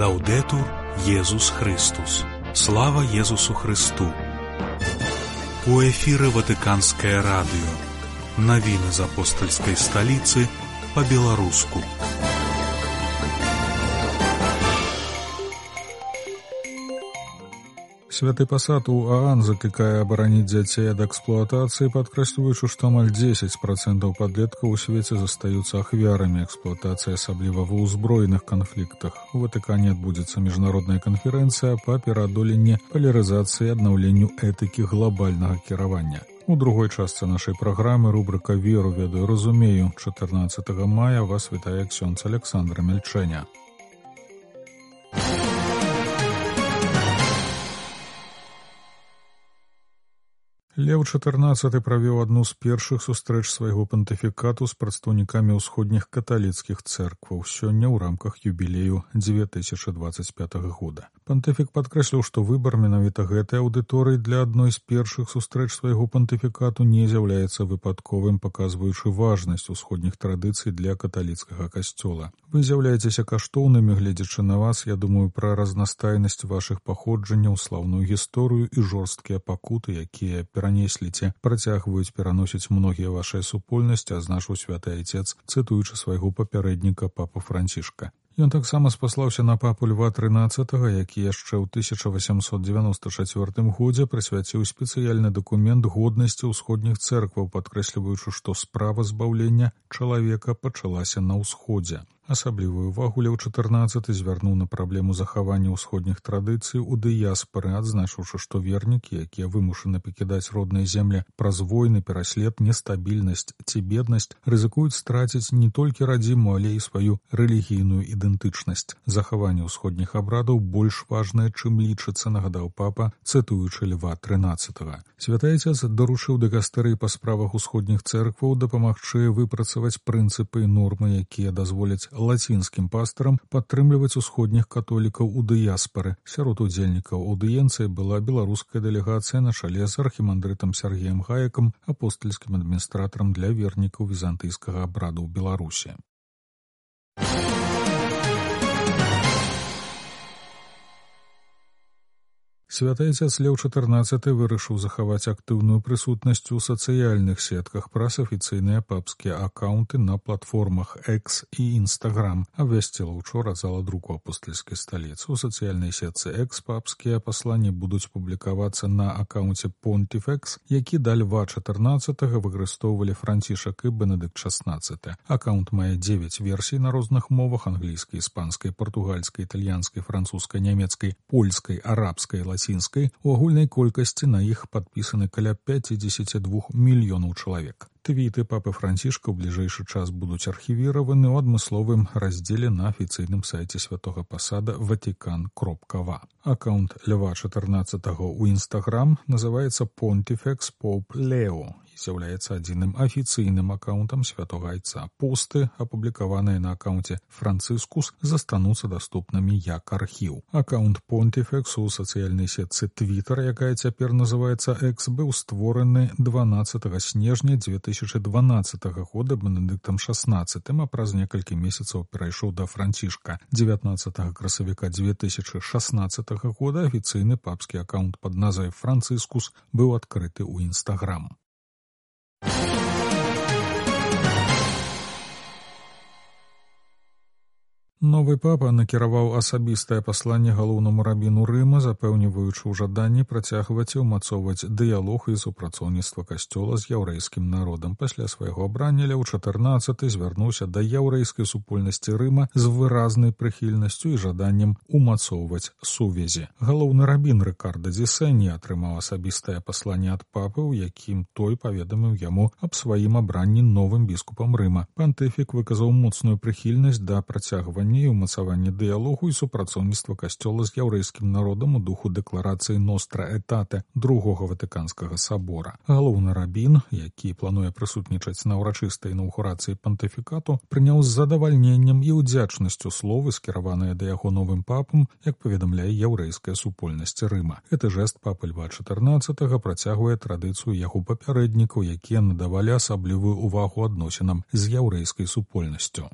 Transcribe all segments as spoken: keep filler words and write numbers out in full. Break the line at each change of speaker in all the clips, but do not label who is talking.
Лаўдэтур Езус Христус. Слава Езусу Христу. У эфіры Ватыканскае радыё. Навіны з апостальскай сталіцы па-беларуску.
Святы пасад у ААН заклікае абараніць дзяцей ад эксплуатацыі, падкрэсліваючы, што амаль дзесяць працэнтаў падлеткаў у свеце застаюцца ахвярамі эксплуатацыі, асабліва ва ўзброеных канфліктах. У Ватыкане адбудзецца міжнародная канферэнцыя па пераадоленні палярызацыі і аднаўленню этыкі глабальнага кіравання. У другой частцы нашай праграмы рубрыка «Веру, ведаю, разумею». чатырнаццатага мая вас вітае ксёндз Александр Мельчэня. Леў чатырнаццаты правёў адну з першых сустрэч свайго пантыфікату з прадстаўнікамі ўсходніх каталіцкіх цэркваў сёння ў рамках юбілею дзве тысячы дваццаць пятага года. Пантыфік падкрэсліў, што выбар менавіта гэтай аўдыторыі для адной з першых сустрэч свайго пантыфікату не з'яўляецца выпадковым, паказваючы важнасць усходніх традыцый для каталіцкага касцёла. Вы з'яўляецеся каштоўнымі, гледзячы на вас, я думаю пра разнастайнасць вашых паходжанняў, слаўную гісторыю і жорсткія пакуты, якія перанесліце, працягваюць пераносіць многія вашыя супольнасці, азначыў святы айцец, цытуючы свайго папярэдніка папу Францішка. Ён таксама спаслаўся на папу Льва трынаццатага, які яшчэ ў тысяча васямсот дзевяноста чацвёртым годзе прысвяціў спецыяльны дакумент годнасці ўсходніх цэркваў, падкрэсліваючы, што справа збаўлення чалавека пачалася на ўсходзе. Асаблівую увагу Леў чатырнаццаты звярнуў на праблему захавання ўсходніх традыцый у дыяспары, адзначыўшы, што вернікі, якія вымушаны пакідаць родныя землі праз войны, пераслед, нестабільнасць ці беднасць, рызыкуюць страціць не толькі радзіму, але і сваю рэлігійную ідэнтычнасць. Захаванне ўсходніх абрадаў больш важнае, чым лічыцца, нагадаў папа, цытуючы Льва трынаццатага. Святы айцец даручыў дыкастэрыі па справах усходніх цэркваў дапамагчы выпрацаваць прынцыпы і нормы, якія дазволяць лацінскім пастарам падтрымліваць усходніх католікаў у дыяспары. Сярод удзельнікаў аўдыенцыі была беларуская дэлегацыя на чале з архімандрытам Сергеем Гаякам, апостальскім адміністратарам для вернікаў візантыйскага абраду ў Беларусі. Святы айцец Леў чатырнаццаты вырашыў захаваць актыўную прысутнасць у сацыяльных сетках праз афіцыйныя папскія акаунты на платформах X і Instagram, абвясціла учора зала друку апостальскай сталіцы. У сацыяльнай сетцы X папскія пасланні будуць публікавацца на акаунце Pontifex, які да Льва чатырнаццатага выкарыстоўвалі Францішак і Бенедыкт шаснаццаты. Акаунт мае дзевяць версій на розных мовах: англійскай, іспанскай, партугальскай, італьянскай, французскай, нямецкай, польскай, арабскай, лацінскай. У агульнай колькасці на іх падпісаны каля пяцьдзесят два мільёнаў чалавек. Твіты папы Францішка ў бліжэйшы час будуць архівіраваны ў адмысловым раздзеле на афіцыйным сайце святога пасада ватикан кропка ва. Акаунт Льва чатырнаццатага ў Instagram называецца Pontifex Pope Leo і з'яўляецца адзіным афіцыйным акаунтам святога айца. Посты, апублікаваныя на акаунце Францыскус, застануцца даступнымі як архіў. Акаунт Pontifex у сацыяльнай сетцы Twitter, якая цяпер называецца X, быў створаны дванаццатага снежня дзве тысячы дванаццатага года Бенедыктам шаснаццатым, а праз некалькі месяцаў перайшоў да Францішка. дзевятнаццатага красавіка дзве тысячы шаснаццатага года афіцыйны папскі акаунт пад назвай Францыскус быў адкрыты ў Instagram. Новы папа накіраваў асабістае пасланне галоўнаму рабіну Рыма, запэўніваючы ў жаданні працягваць і ўмацоўваць дыялог і супрацоўніцтва касцёла з яўрэйскім народам. Пасля свайго абрання Леў чатырнаццаты звярнуўся да яўрэйскай супольнасці Рыма з выразнай прыхільнасцю і жаданнем умацоўваць сувязі. Галоўны рабін Рыкарда Дзісэні атрымаў асабістае пасланне ад папы, у якім той паведаміў яму аб сваім абранні новым біскупам Рыма. Пантыфік выказаў моцную прыхільнасць да працягвання і ўмацаванне дыялогу і супрацоўніцтва касцёла з яўрэйскім народам у духу дэкларацыі Ностра Этате другога Ватыканскага сабора. Галоўны рабін, які плануе прысутнічаць на ўрачыстай інаўгурацыі пантыфікату, прыняў з задавальненнем і ўдзячнасцю словы, скіраваныя да яго новым папам, як паведамляе яўрэйская супольнасць Рыма. Гэты жэст папы Льва чатырнаццатага працягвае традыцыю яго папярэднікаў, якія надавалі асаблівую ўвагу адносінам з яўрэйскай супольнасцю.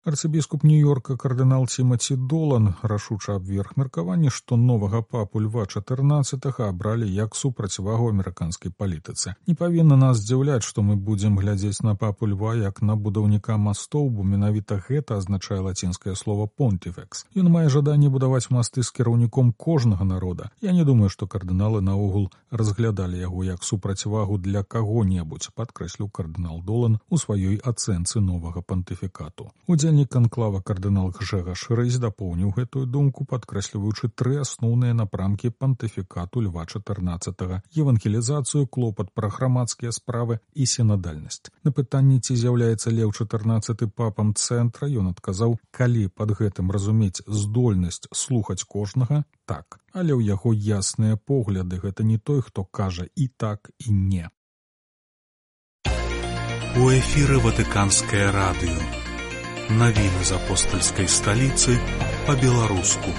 Арцыбіскуп Нью-Йорка кардынал Тимаці Долан рашуча абверг меркаванне, што новага папу Льва чатырнаццатага абралі як супрацьвагу амерыканскай палітыцы. Не павінна нас здзіўляць, што мы будзем глядзець на папу Льва як на будаўніка мастоў, бо менавіта гэта азначае лацінскае слова «понтифекс». Ён мае жаданне будаваць масты з кіраўніком кожнага народа. Я не думаю, што кардыналы наогул разглядалі яго як супрацьвагу для каго-небудзь, падкрэсліў кардынал Долан у сваёй ацэнцы новага пантыфікату. Удзельнік канклава кардынал Гжэгаш Рэйс дапоўніў гэтую думку, падкрэсліваючы тры асноўныя напрамкі пантыфікату Льва чатырнаццатага: евангелізацыю, клопат пра грамадскія справы і сінадальнасць. На пытанне, ці з'яўляецца Леў чатырнаццаты папам цэнтра, ён адказаў: калі пад гэтым разумець здольнасць слухаць кожнага, так. Але ў яго ясныя погляды, гэта не той, хто кажа і так, і не.
У эфіры Ватыканскае радыё. Навіны з апостальскай сталіцы па-беларуску.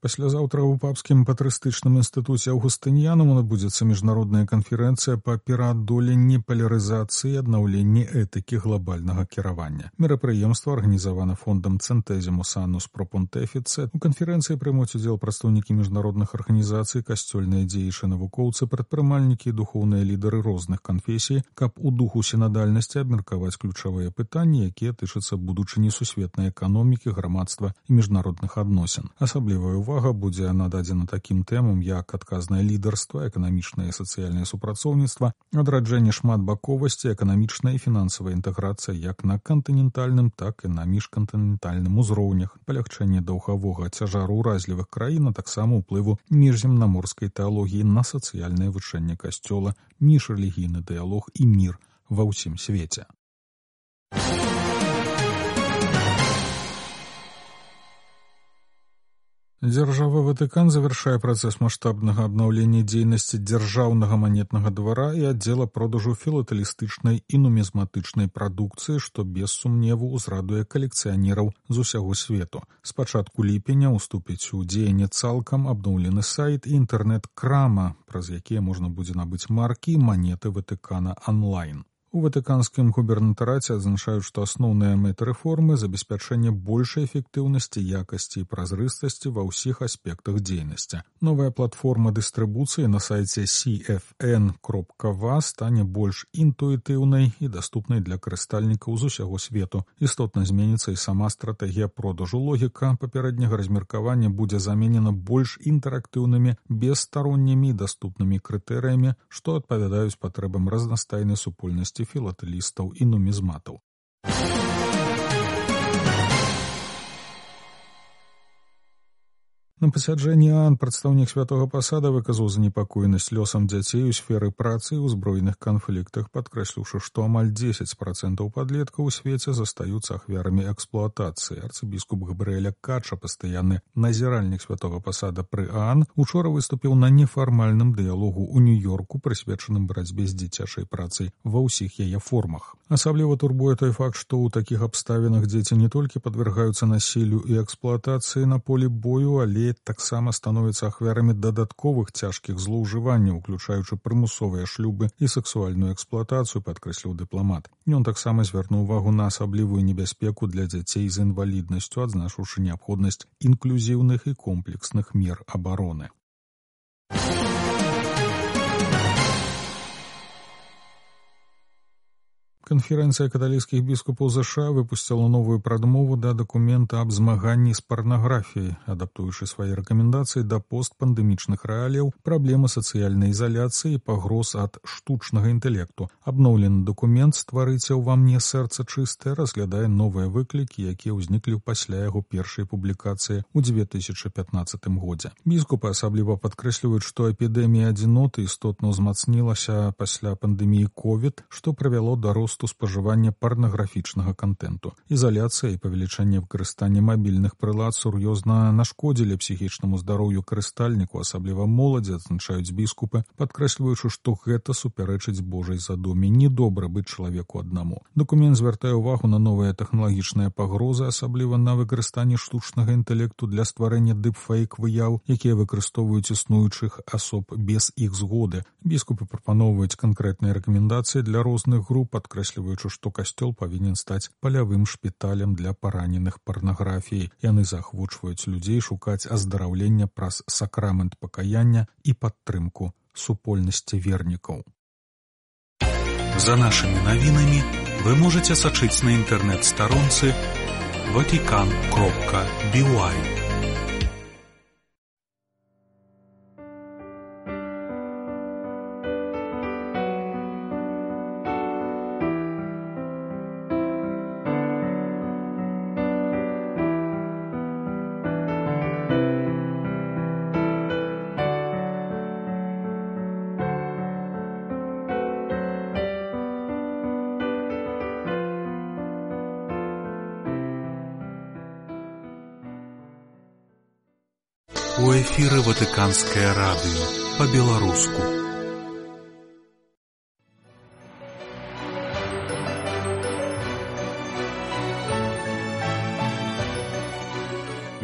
Паслязаўтра ў папскім патрыстычным інстытуце Аўгустыніянам адбудзецца міжнародная канферэнцыя па пераадоленні палярызацыі і аднаўленні этыкі глобальнага кіравання. Мерапрыемства арганізавана фондам Centesimus Annus Pro Pontifice. У канферэнцыі прымуць удзел прадстаўнікі міжнародных арганізацый, касцёльныя дзеячы, навукоўцы, прадпрымальнікі і духоўныя лідары розных канфесій, каб у духу сінадальнасці абмеркаваць ключавыя пытанні, якія тычацца будучыні сусветнай эканомікі, грамадства і міжнародных адносін. Асаблівая увага Увага будзе нададзена такім тэмам, як адказнае лідарства, эканамічнае і сацыяльнае супрацоўніцтва, адраджэнне шматбаковасці, эканамічная і фінансавая інтэграцыя як на кантынентальным, так і на міжкантынентальным узроўнях, палягчэнне даўгавога цяжару ўразлівых краін, а таксама ўплыву міжземнаморскай тэалогіі на сацыяльнае вучэнне касцёла, міжрэлігійны дыялог і мір ва ўсім свеце. Дзяржава Ватыкан завяршае працэс маштабнага абнаўлення дзейнасці дзяржаўнага манетнага двара і аддзела продажу філатэлістычнай і нумізматычнай прадукцыі, што без сумневу ўзрадуе калекцыянераў з усяго свету. З пачатку ліпеня ўступіць у дзеянне цалкам абноўлены сайт і інтэрнэт-крама, праз якія можна будзе набыць маркі і манеты Ватыкана онлайн. У ватыканскім губернатараце адзначаюць, што асноўная мэта рэформы – забеспячэнне большай эфектыўнасці, якасці і празрыстасці ва ўсіх аспектах дзейнасці. Новая платформа дыстрыбуцыі на сайце си эф эн кропка ва стане больш інтуітыўнай і даступнай для карыстальнікаў з усяго свету. Істотна зменіцца і сама стратэгія продажу. Логіка папярэдняга размеркавання будзе заменена больш інтэрактыўнымі, бесстароннімі і даступнымі крытэрыямі, што адпавядаюць патрэбам разнастайнай супольнасці філатэлістаў і нумізматаў. На пасяджэнні ААН прадстаўнік святога пасада выказаў занепакоенасць лёсам дзяцей у сферы працы і ўзброеных канфліктах, падкрэсліўшы, што амаль дзесяць працэнтаў падлеткаў у свеце застаюцца ахвярамі эксплуатацыі. Арцыбіскуп Габрыэля Кача, пастаянны назіральнік святога пасада пры ААН, учора выступіў на нефармальным дыялогу ў Нью-Йорку, прысвечаным барацьбе з дзіцячай працай ва ўсіх яе формах. Асабліва турбуе той факт, што ў такіх абставінах дзеці не толькі падвяргаюцца насіллю і эксплуатацыі на полі бою, але таксама становяцца ахвярамі дадатковых цяжкіх злоўжыванняў, уключаючы прымусовыя шлюбы і сексуальную эксплуатацыю, падкрэсліў дыпламат. Ён таксама звярнуў увагу на асаблівую небяспеку для дзяцей з інваліднасцю, адзначыўшы неабходнасць інклюзіўных і комплексных мер абароны. Канферэнцыя каталіцкіх біскупаў ЗША выпусціла новую прадмову да дакумента аб змаганні з парнаграфіяй, адаптуючы свае рэкамендацыі да постпандэмічных рэаліяў, праблемы сацыяльнай ізаляцыі і пагроз ад штучнага інтэлекту. Абноўлены дакумент «Стварыце ўва мне сэрца чыстае» разглядае новыя выклікі, якія ўзніклі пасля яго першай публікацыі ў дзве тысячы пятнаццатым годзе. Біскупы асабліва падкрэсліваюць, што эпідэмія адзіноты істотна ўзмацнілася пасля пандэміі ковід, што прывяло да росту спажывання парнаграфічнага кантэнту. Ізаляцыя і павелічэнне выкарыстання мабільных прылад сур'ёзна нашкодзілі псіхічнаму здароўю карыстальніку, асабліва моладзі, адзначаюць біскупы, падкрэсліваючы, што гэта супярэчыць Божай задуме. Недобра быць чалавеку аднаму. Дакумент звяртае ўвагу на новыя тэхналагічныя пагрозы, асабліва на выкарыстанне штучнага інтэлекту для стварэння дыпфейк-выяў, якія выкарыстоўваюць існуючых асоб без іх згоды. Біскупы прапаноўваюць канкрэтныя рэкамендацыі для розных груп, падкрэсліваюць падкрэсліваючы, што касцёл павінен стаць палявым шпіталем для параненых парнаграфіяй. Яны заахвочваюць людзей шукаць аздараўлення праз сакрамент пакаяння і падтрымку супольнасці вернікаў.
За нашими навінамі вы можете сачыць на інтэрнэт-старонцы ватикан кропка би уай. У эфіры Ватыканскае радыё па-беларуску.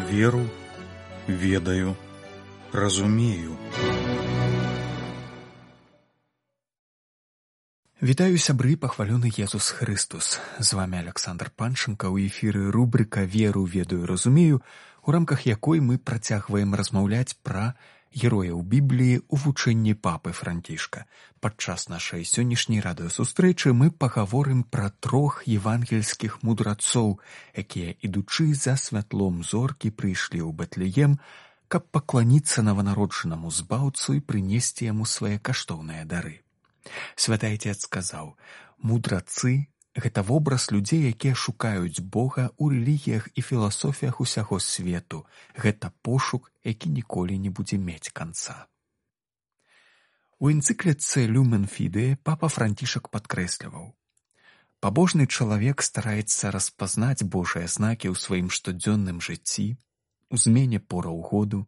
Веру, ведаю, разумею.
Вітаю, сябры, пахвалёны Езус Христус. З вами Александр Панченко. У эфіры рубрика «Веру, ведаю, разумею», у рамках якой мы працягваем размаўляць пра герояў Бібліі ў вучэнні папы Францішка. Падчас нашай сённяшняй радыёсустрэчы мы пагаворым пра трох евангельскіх мудрацоў, якія, ідучы за святлом зоркі, прыйшлі ў Бэтлеем, каб пакланіцца нованароджанаму збаўцу і прынесці яму свае каштоўныя дары. Святы Отец сказаў: «Мудрацы – гэта вобраз людзей, якія шукаюць Бога ў рэлігіях і філасофіях усяго свету. Гэта пошук, які ніколі не будзе мець канца». У энцыкліцы «Люмен Фідэ» папа Францішак падкрэсліваў: «Пабожны чалавек стараецца распазнаць Божыя знакі ў сваім штодзённым жыцці, у змене пораў году,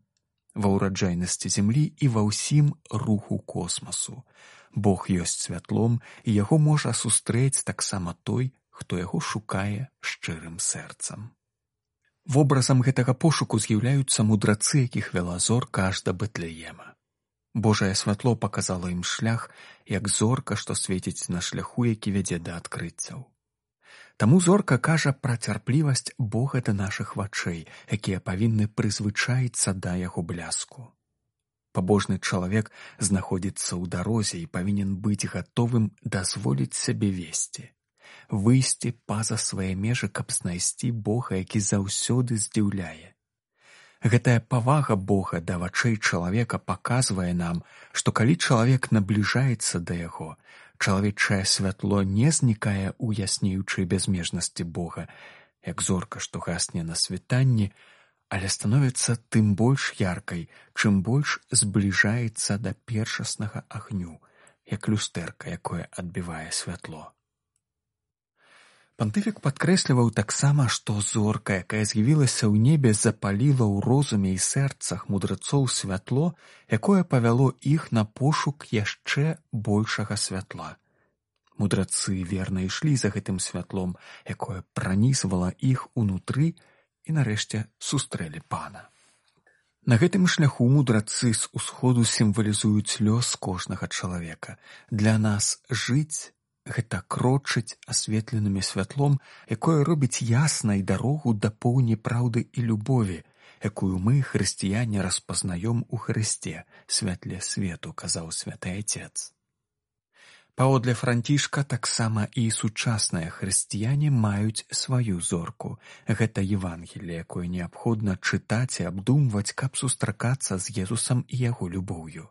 ва ўраджайнасці зямлі і ва ўсім руху космасу. Бог ёсць святлом, і яго можа сустрэць таксама той, хто яго шукае шчырым сэрцам». Вобразам гэтага пошуку з'яўляюцца мудрацы, якіх вяла зорка аж да Бэтлеема. Божае святло паказала ім шлях, як зорка, што свеціць на шляху, які вядзе да адкрыццяў. Таму зорка кажа пра цярплівасць Бога да нашых вачэй, якія павінны прызвычаіцца да яго бляску. Пабожны чалавек знаходзіцца ў дарозе і павінен быць гатовым дазволіць сябе весці, выйсці па-за свае межы, каб знайсці Бога, які заўсёды здзіўляе. Гэтая павага Бога да вачэй чалавека паказвае нам, што калі чалавек набліжаецца да яго, чалавечае святло не знікае ў яснеючай бязмежнасці Бога, як зорка, што гасне на світанні, але становіцца тым больш яркай, чым больш збліжаецца да першаснага агню, як люстэрка, якое адбівае святло. Пантыфік падкрэсліваў таксама, што зорка, якая з'явілася ў небе, запаліла ў розуме і сэрцах мудрацоў святло, якое павяло іх на пошук яшчэ большага святла. Мудрацы верна ішлі за гэтым святлом, якое пранізвала іх унутры, і нарэшце сустрэлі Пана. На гэтым шляху мудрацы з усходу сімвалізуюць лёс кожнага чалавека. Для нас жыць – гэта крочыць асветленым святлом, якое робіць яснай дарогу да поўні праўды і любові, якую мы, хрысціяне, распазнаём у Хрысце, святле свету, казаў святы Отец. Паводле Францішка таксама і сучасныя хрысціяне маюць сваю зорку. Гэта Евангелле, якое неабходна чытаць і абдумваць, каб сустракацца з Езусам і яго любоўю.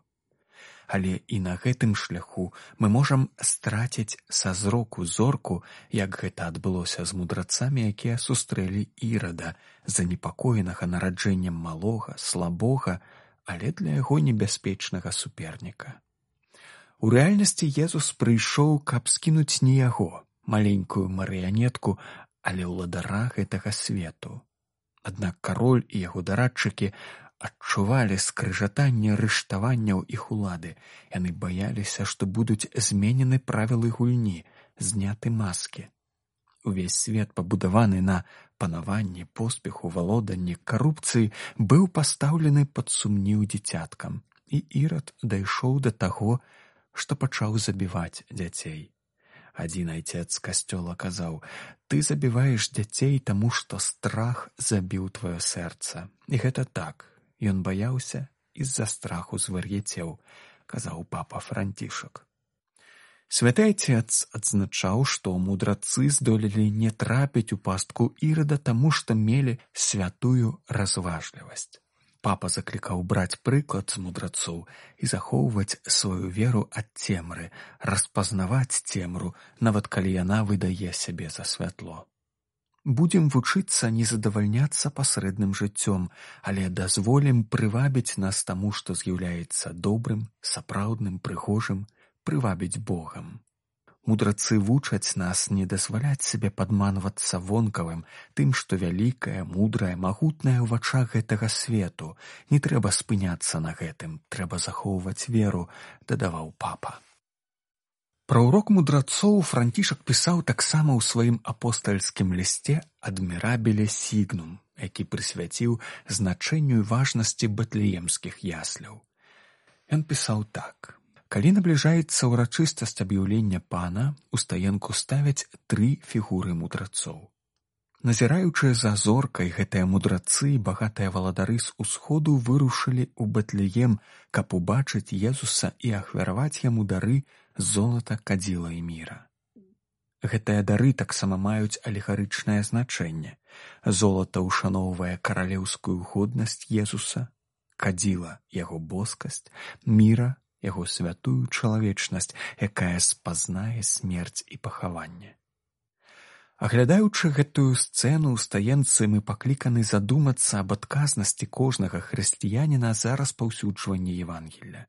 Але і на гэтым шляху мы можам страціць са зроку зорку, як гэта адбылося з мудрацамі, якія сустрэлі Ірада, занепакоенага нараджэннем малога, слабога, але для яго небяспечнага суперніка. У рэальнасці Езус прыйшоў, каб скінуць не яго, маленькую марыянетку, але ўладара гэтага свету. Аднак кароль і яго дарадчыкі адчувалі скрыжатанне рыштаванняў іх улады. Яны баяліся, што будуць зменены правілы гульні, зняты маскі. Увесь свет, пабудаваны на панаванні, поспеху, валоданні, карупцыі, быў пастаўлены пад сумнеў дзіцяткам. І Ірад дайшоў да таго, што пачаў забіваць дзяцей. Адзін айцец касцёла казаў: «Ты забіваеш дзяцей, таму што страх забіў тваё сэрца». І гэта так. Ён баяўся і з-за страху звар'яцеў, казаў папа Францішак. Святы айцец адзначаў, што мудрацы здолелі не трапіць у пастку Ірада, таму што мелі святую разважлівасць. Папа заклікаў браць прыклад з мудрацоў і захоўваць сваю веру ад цемры, распазнаваць цемру, нават калі яна выдае сябе за святло. Будзем вучыцца не задавальняцца пасрэдным жыццём, але дазволім прывабіць нас таму, што з'яўляецца добрым, сапраўдным, прыгожым, прывабіць Богам. Мудрацы вучаць нас не дазваляць сабе падманвацца вонкавым, тым, што вялікае, мудрае, магутнае ў вачах гэтага свету. Не трэба спыняцца на гэтым, трэба захоўваць веру, дадаваў папа. Пра ўрок мудрацоў Францішак пісаў таксама ў сваім апостальскім лісце «Адмірабіле сігнум», які прысвяціў значэнню і важнасці бэтлеемскіх ясляў. Ён пісаў так. Калі набліжаецца ўрачыстасць аб'яўлення пана, у стаенку ставяць тры фігуры мудрацоў. Назіраючыя за зоркай, гэтыя мудрацы і багатыя валадары з усходу вырушылі ў Бэтлеем, каб убачыць Езуса і ахвяраваць яму дары золата, кадзіла і міра. Гэтыя дары таксама маюць алегарычнае значэнне. Золата ушаноўвае каралеўскую годнасць Езуса, кадзіла яго боскасць, міра яго святую чалавечнасць, якая спазнае смерць і пахаванне. Аглядаючы гэтую сцэну ў стаенцы, мы пакліканы задумацца аб адказнасці кожнага хрысціяніна за распаўсюджванне Евангелля.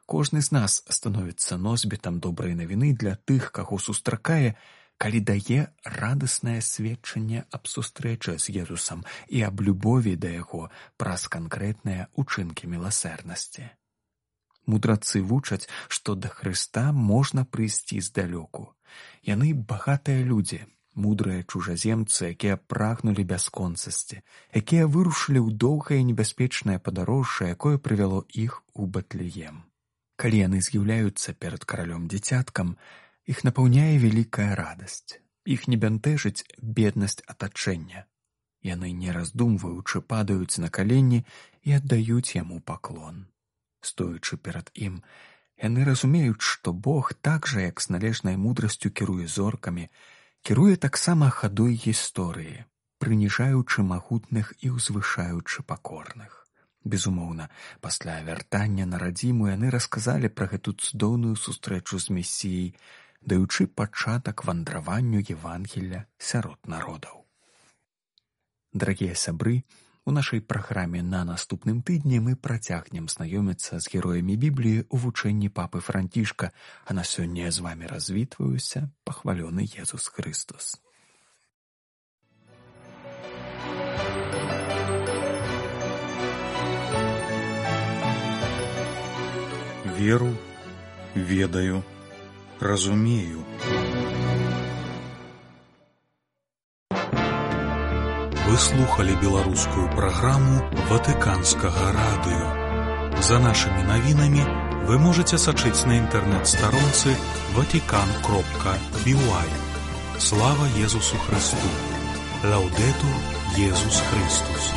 Кожны з нас становіцца носьбітам добрай навіны для тых, каго сустракае, калі дае радаснае сведчанне аб сустрэчы з Езусам і аб любові да яго праз канкрэтныя ўчынкі міласэрнасці. Мудрацы вучаць, што да Хрыста можна прыйсці здалёку. Яны багатыя людзі, мудрыя чужаземцы, якія прагнулі бясконцасці, якія вырушылі ў доўгае небяспечнае падарожжа, якое прывяло іх у Бэтлеем. Калі яны з'яўляюцца перад каралём-дзіцяткам, іх напаўняе вялікая радасць. Іх не бянтэжыць беднасць атачэння. Яны, не раздумваючы, падаюць на калені і аддаюць яму паклон. Стоячы перад ім, яны разумеюць, што Бог так жа, як з належнай мудрасцю кіруе зоркамі, кіруе таксама хадой гісторыі, прыніжаючы магутных і ўзвышаючы пакорных. Безумоўна, пасля вяртання на радзіму яны расказалі пра гэту цудоўную сустрэчу з Месіяй, даючы пачатак вандраванню Евангелля сярод народаў. Дарагія сябры, у нашай праграме на наступным тыдні мы працягнем знаёміцца з героямі Бібліі ў вучэнні папы Францішка, а на сёння я з вамі развітваюся, пахвалёны Езус Христос.
Веру, ведаю, разумею.
Вы слухали беларускую праграму Ватыканскага радыё. За нашымі навінамі вы можаце сачыць на інтэрнэт-старонцы ватикан кропка би уай. Слава Езусу Христу! Лаўдэтур Езус Христус!